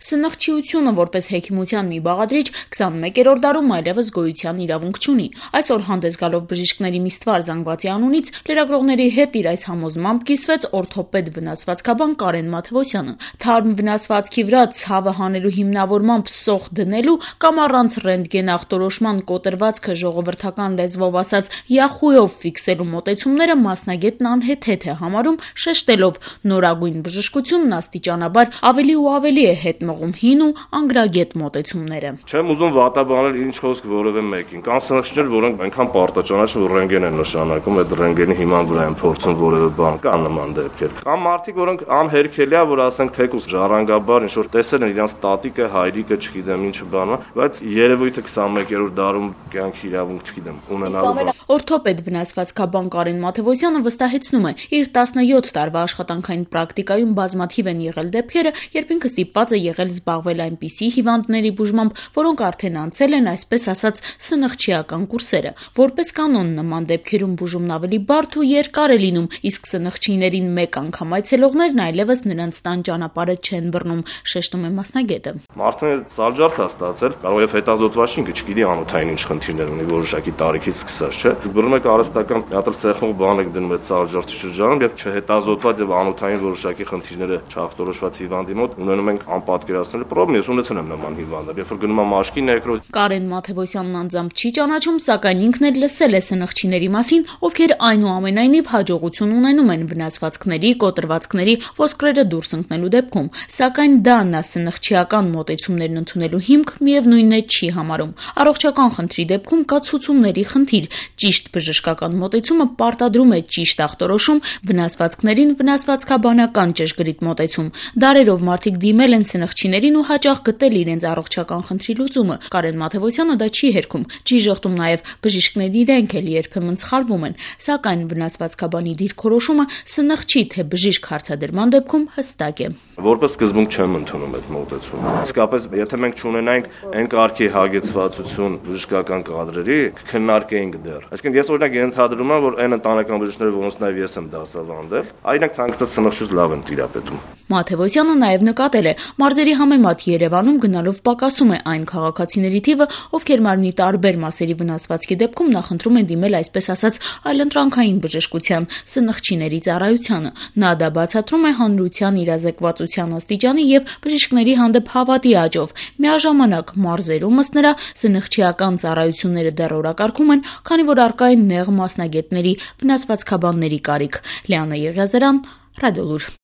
Սնխչիությունը որպես հեքիմության մի բաղադրիչ 21-րդ դարում այլևս գոյության իրավունք չունի։ Այսօր հանդես գալով բժիշկների մի ստվար զանգվածի անունից լրագրողների հետ իր այս համոզմամբ կիսվեց օրթոպեդ վնասվածքաբան Կարեն Մաթևոսյանը։ Թարմ վնասվածքի վրա ցավը հանելու հիմնավորմամբ սոխ դնելու կամ առանց ռենտգեն ախտորոշման կոտրվածքը ժողովրդական լեզվով ասած յախույով ֆիքսելու մոտեցումները մասնագետն անհեթեթ է համարում, շեշտելով նորագույն բժշկությունն աստիճանաբար ավելի ու ավելի է հետ մղում հին ու անգրագետ մոտեցումները։ Չեմ ուզում վատաբանել ինչ խոսք որևէ մեկին։ Կան սնխչներ, որոնք այնքան պարտաճանաչ որ ռենտգեն են նշանակում, այդ ռենտգենի հիման վրա են փորձում որևէ բան, կան նման դեպքեր։ Կամ մարդիկ, որոնք անհերքելի է, որ ասենք թեկուզ ժառանգաբար ինչ որ տեսել են իրանց տատիկը, հայրիկը, չգիտեմ ինչը բանը, բայց երևույթը 21-րդ դարում կյանքի իրավունք չգիտեմ ունենալու։ Օրթոպեդ վնասվածքաբան Կարեն Մաթևոսյանը վստահեցնում է, իր 17 տարվա աշխատանքային պրակտիկայում բազմաթիվ են եղել դեպքերը, երբ ինքը ստիպված է եղել զբաղվել այնպիսի հիվանդների բուժմամբ, որոնք արդեն անցել են այսպես ասած սնխչիական կուրսերը։ Որպես կանոն նման դեպքերում բուժումն ավելի բարդ ու երկար է լինում, իսկ սնխչիներին մեկ անգամ այցելողներն այլևս նրանց տան ճանապարհը չեն բռնում, շեշտում է մասնագետը։ Մարդն սալջարդ է ստացել, կարող է հետազոտված ինքը չգիտի անոթային ինչ խնդիրներ ունի, որոշակի տարիքից սկսած, չէ։ Դուք բռնում եք արհեստական մի հատ ցեխնող բան եք դնում այդ սալջարդի շրջանում, եւ չհետազոտված եւ անոթային որոշակի խնդիրները չախտորոշված հիվանդի մոտ ունենում ենք անպատկերացնելու պրոբլեմ, ես ունեցել եմ նման հիվանդը, երբ որ գնում եմ մաշկի նեկրոզ։ Կարեն Մաթևոսյանն անձամբ չի ճանաչում, սակայն ինքն էլ լսել է սնխչիների մասին, ովքեր այնուամենայնիվ հաջողություն ունենում են վնասվածքների, կոտրվածքների, ոսկրերը դուրս ընկնելու դեպքում, սակայն դա նա սնխչիական մոտեցումներն ընդունելու հիմք միևնույնն է չի համարում։ Առողջական խնդրի դեպքում կա ցուցումների խնդիր, ճիշտ բժշկական մոտեցումը պարտադրում է ճիշտ ախտորոշում, վնասվածքներին վնասվածքաբանական ճշգրիտ մոտեցում։ Դարերով մարդիկ դիմել են սնխչիներին ու հաճախ գտել իրենց առողջական խնդրի լուծումը։ Կարեն Մաթևոսյանը դա չի հերքում, չի ժխտում նաև բժիշկները իրենք էլ երբեմն սխալվում են, սակայն վնասվածքաբանի դիրքորոշումը սնխչի թե բժիշկ հարցադրման դեպքում հստակ է։ Որպես սկզբունք չեմ ընդունում այդ մոտեցումը։ Իսկապես, եթե մենք չունենայինք այն կարգի հագեցվածություն բժշկական կադրերի, քննարկեինք դեռ։ Այսինքն ես օրինակ ենթադրում եմ, որ այն ընտանեկան բժիշկները, որոնց նաև ես եմ դասավանդել, այնինք ցանկացած սնխչուց լավ են տիրապետում։ Մաթևոսյանը նաև նկատել է, մարզերի համեմատ Երևանում գնալով պակասում է այն քաղաքացիների թիվը, ովքեր մարմնի տարբեր մասերի վնասվածքի դեպքում նախընտրում են դիմել այսպես ասած այլընտրանքային բժշկության, սնխչիների ծառայությանը։ Նա դա բացատրում է հանրության իրազեկվածության աստիճանի եւ բժիշկների հանդեպ հավատի աճով։ Միաժամանակ մարզերում ըստ նրա սնխչիական ծառայությունները դեռ օրակարգում են, քանի որ առկա են նեղ մասնագետների, վնասվածքաբանների կարիք։ Լիանա Եղիազարյան, Ռադիոլուր։